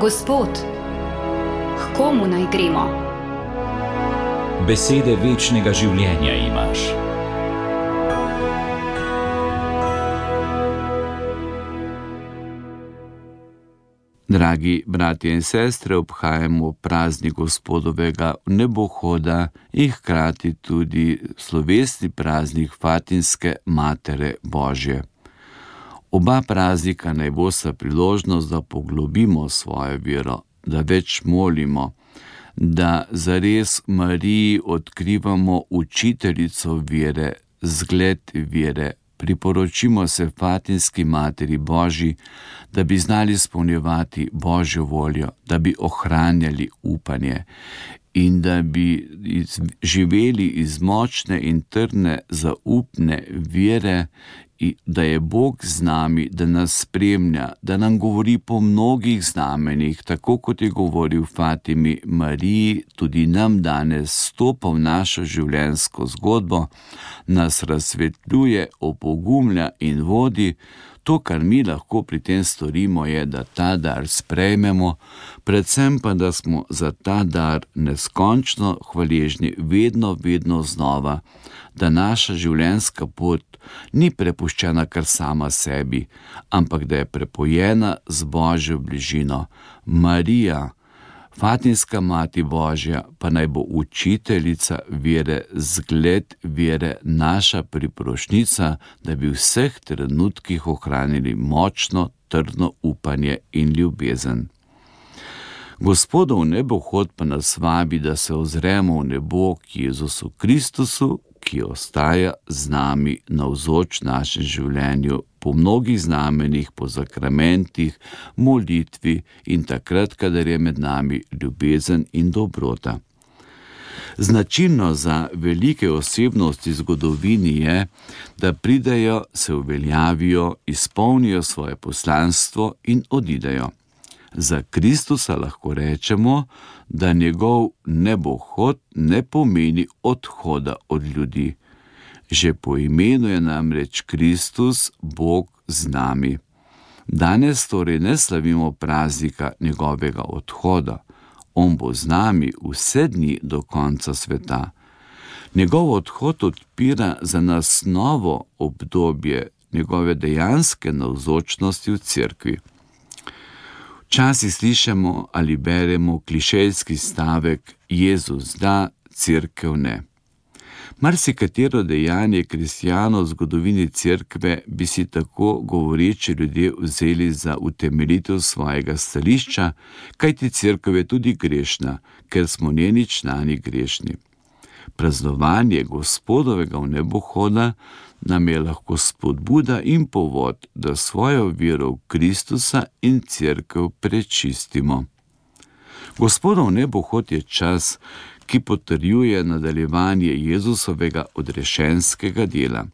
Gospod, k komu naj gremo? Besede večnega življenja imaš. Dragi bratje in sestre, obhajamo praznik Gospodovega nebohoda in hkrati tudi slovesni praznik Fatinske Matere Božje. Oba praznika naj bosta priložnost, da poglobimo svojo vero, da več molimo, da zares Mariji odkrivamo učiteljico vere, zgled vere, priporočimo se Fatinski Materi Božji, da bi znali izpolnjevati Božjo voljo, da bi ohranjali upanje in da bi živeli iz močne in trdne zaupne vere, da je Bog z nami, da nas spremlja, da nam govori po mnogih znamenjih, tako kot je govoril Fatimi Mariji, tudi nam danes stopa v našo življenjsko zgodbo, nas razsvetljuje, opogumlja in vodi. To, kar mi lahko pri tem storimo, je, da ta dar sprejmemo, predvsem pa, da smo za ta dar neskončno hvaležni vedno znova, da naša življenjska pot ni prepuščena kar sama sebi, ampak da je prepojena z Božjo bližino. Marija, Fatinska Mati Božja, pa naj bo učiteljica vere, zgled vere, naša priporočnica, da bi v vseh trenutkih ohranili močno, trdno upanje in ljubezen. Gospodov nebohod pa nas vabi, da se ozremo v nebo k Jezusu Kristusu, ki ostaja z nami navzoč v našem življenju, po mnogih znamenjih, po sakramentih, molitvi in takrat, kadar je med nami ljubezen in dobrota. Značilno za velike osebnosti v zgodovini je, da pridejo, se uveljavijo, izpolnijo svoje poslanstvo in odidejo. Za Kristusa lahko rečemo, da njegov nebohod ne pomeni odhoda od ljudi. Že po imenu je namreč Kristus, Bog z nami. Danes torej ne slavimo praznika njegovega odhoda. On bo z nami vse dni do konca sveta. Njegov odhod odpira za nas novo obdobje njegove dejanske navzočnosti v cerkvi. Včasih slišimo ali beremo klišejski stavek Jezus da, cerkev ne. Marsikatero dejanje kristjanov v zgodovini cerkve bi si tako govoreči ljudje vzeli za utemeljitev svojega stališča, kajti cerkev je tudi grešna, ker smo njeni člani grešni. Praznovanje Gospodovega vnebohoda nam je lahko spodbuda in povod, da svojo vero v Kristusa in cerkev prečistimo. Gospodov nebohod je čas, ki potrjuje nadaljevanje Jezusovega odrešenskega dela.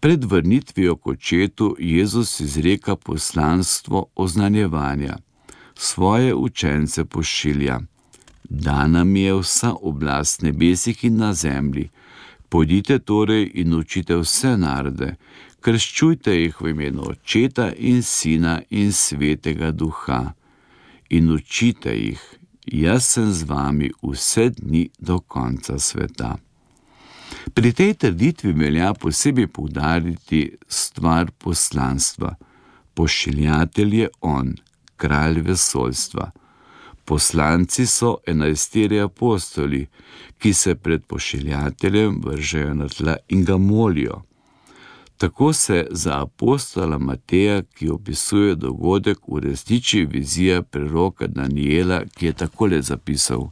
Pred vrnitvijo k očetu Jezus izreka poslanstvo oznanjevanja. Svoje učence pošilja. Dana mi je vsa oblast nebesih in na zemlji. Pojdite torej in učite vse narode, krščujte jih v imenu Očeta in Sina in Svetega Duha. In učite jih, jaz sem z vami vse dni do konca sveta. Pri tej trditvi velja posebej poudariti stvar poslanstva. Pošiljatelj je on, kralj vesoljstva. Poslanci so 11 apostoli, ki se pred pošiljateljem vržejo na tla in ga molijo. Tako se za apostola Mateja, ki opisuje dogodek, uresniči vizija preroka Daniela, ki je takole zapisal: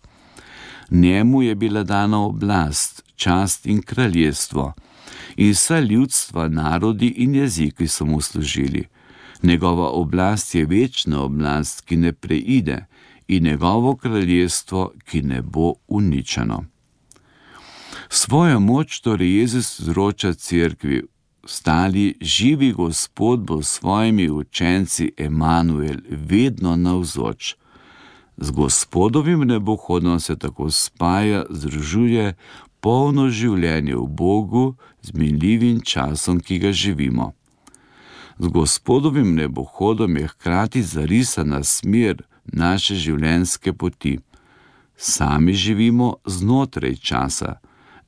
Njemu je bila dana oblast, čast in kraljestvo, in vsa ljudstva, narodi in jeziki so mu služili. Njegova oblast je večna oblast, ki ne preide, in njegovo kraljestvo, ki ne bo uničeno. Svojo moč torej Jezus izroča cerkvi. Stali živi Gospod bo s svojimi učenci Emanuel vedno navzoč. Z Gospodovim nebohodom se tako spaja, združuje polno življenje v Bogu z minljivim časom, ki ga živimo. Z Gospodovim nebohodom je hkrati zarisana smer naše življenjske poti. Sami živimo znotraj časa,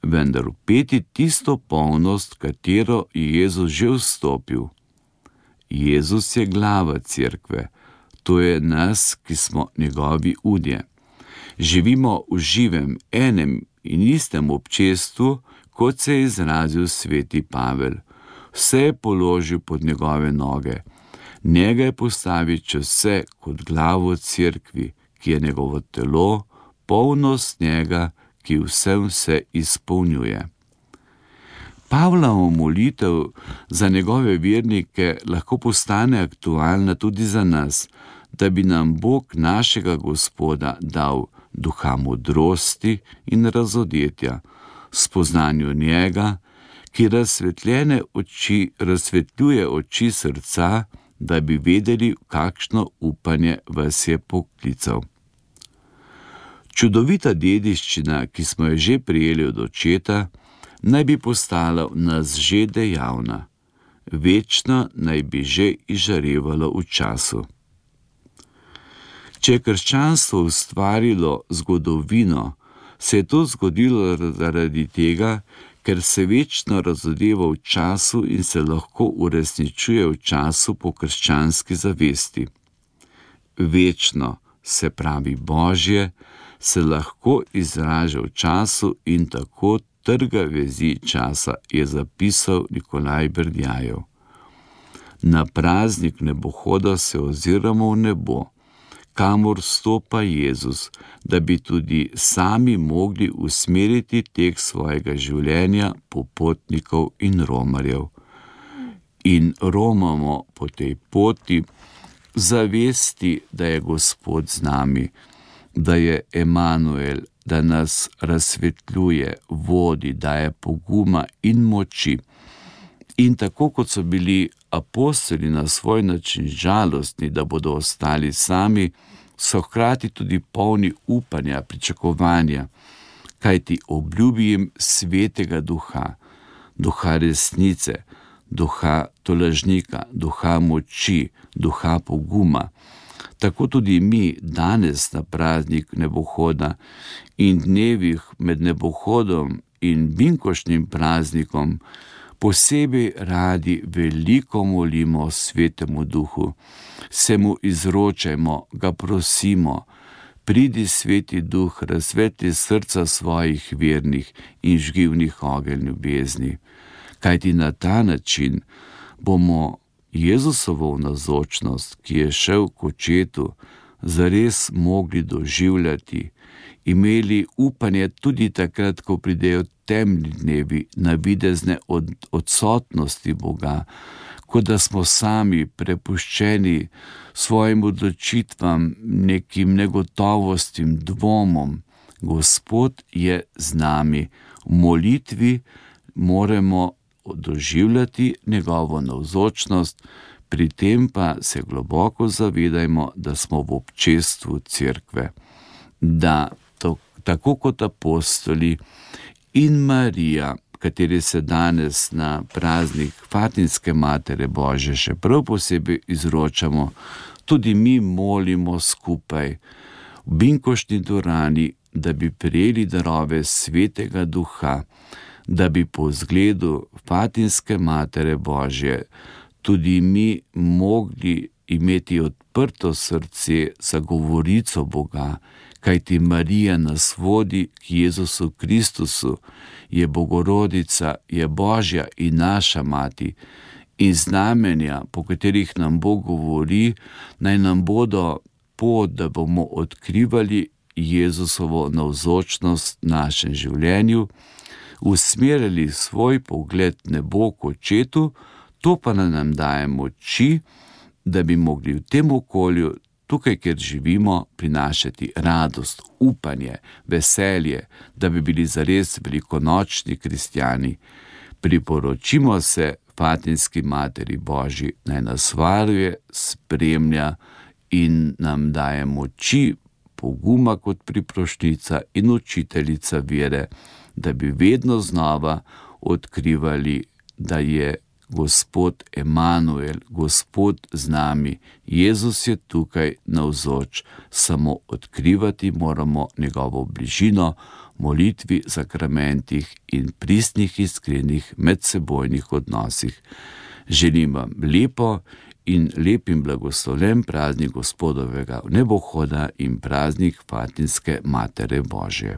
vendar vpeti tisto polnost, katero je Jezus že vstopil. Jezus je glava cerkve, to je nas, ki smo njegovi udje. Živimo v živem, enem in istem občestvu, kot se je izrazil sveti Pavel. Vse je položil pod njegove noge. Njega je postavil čez vse kot glavo cerkvi, ki je njegovo telo, polnost njega, ki vse izpolnjuje. Pavlova molitev za njegove vernike lahko postane aktualna tudi za nas, da bi nam Bog našega Gospoda dal duha modrosti in razodetja, spoznanju njega, ki razsvetljuje oči srca, da bi vedeli, kakšno upanje vas je poklical. Čudovita dediščina, ki smo jo že prejeli od očeta, naj bi postala v nas že dejavna. Večno naj bi že izžarevalo v času. Če je krščanstvo ustvarilo zgodovino, se je to zgodilo zaradi tega, ker se večno razodeva v času in se lahko uresničuje v času po krščanski zavesti. Večno, se pravi Božje, se lahko izraža v času in tako trga vezi časa, je zapisal Nikolaj Berdjajev. Na praznik nebohoda se oziramo v nebo, kamor stopa Jezus, da bi tudi sami mogli usmeriti tek svojega življenja popotnikov in romarjev. In romamo po tej poti zavesti, da je Gospod z nami, da je Emanuel, da nas razsvetljuje, vodi, daje poguma in moči. In tako kot so bili apostoli na svoj način žalostni, da bodo ostali sami, so hkrati tudi polni upanja, pričakovanja, kajti obljubi jim svetega duha, duha resnice, duha tolažnika, duha moči, duha poguma. Tako tudi mi danes na praznik nebohoda in dnevih med nebohodom in binkoštnim praznikom posebej radi veliko molimo svetemu duhu, se mu izročajmo, ga prosimo, pridi sveti duh, razsvetli srca svojih vernih in žgi v njih ogenj ljubezni, kajti na ta način bomo Jezusovo navzočnost, ki je šel k očetu, zares mogli doživljati, imeli upanje tudi takrat, ko pridejo temni dnevi, navidezne odsotnosti Boga, kot da smo sami prepuščeni svojim odločitvam, nekim negotovostim, dvomom. Gospod je z nami. V molitvi moramo doživljati njegovo navzočnost, pri tem pa se globoko zavedajmo, da smo v občestvu cerkve, da tako kot apostoli in Marija, kateri se danes na praznik Fatinske Matere Božje še prav posebej izročamo, tudi mi molimo skupaj v binkoštni dvorani, da bi prejeli darove svetega duha, da bi po zgledu Fatinske Matere Božje tudi mi mogli imeti odprto srce za govorico Boga, kajti Marija nas vodi k Jezusu Kristusu, je Bogorodica, je Božja in naša mati, in znamenja, po katerih nam Bog govori, naj nam bodo pot, da bomo odkrivali Jezusovo navzočnost v našem življenju, usmerjali svoj pogled nebo k očetu, to pa nam daje moči, da bi mogli v tem okolju, tukaj, kjer živimo, prinašati radost, upanje, veselje, da bi bili zares velikonočni kristjani. Priporočimo se Fatinski Materi Božji, naj nas varuje, spremlja in nam daje moči, poguma kot priprošnica in učiteljica vere, da bi vedno znova odkrivali, da je Gospod Emanuel, Gospod z nami, Jezus je tukaj navzoč, samo odkrivati moramo njegovo bližino, molitvi, sakramentih in pristnih iskrenih medsebojnih odnosih. Želim vam lepo in lep in blagoslovljen praznik Gospodovega vnebohoda in praznik Fatinske Matere Božje.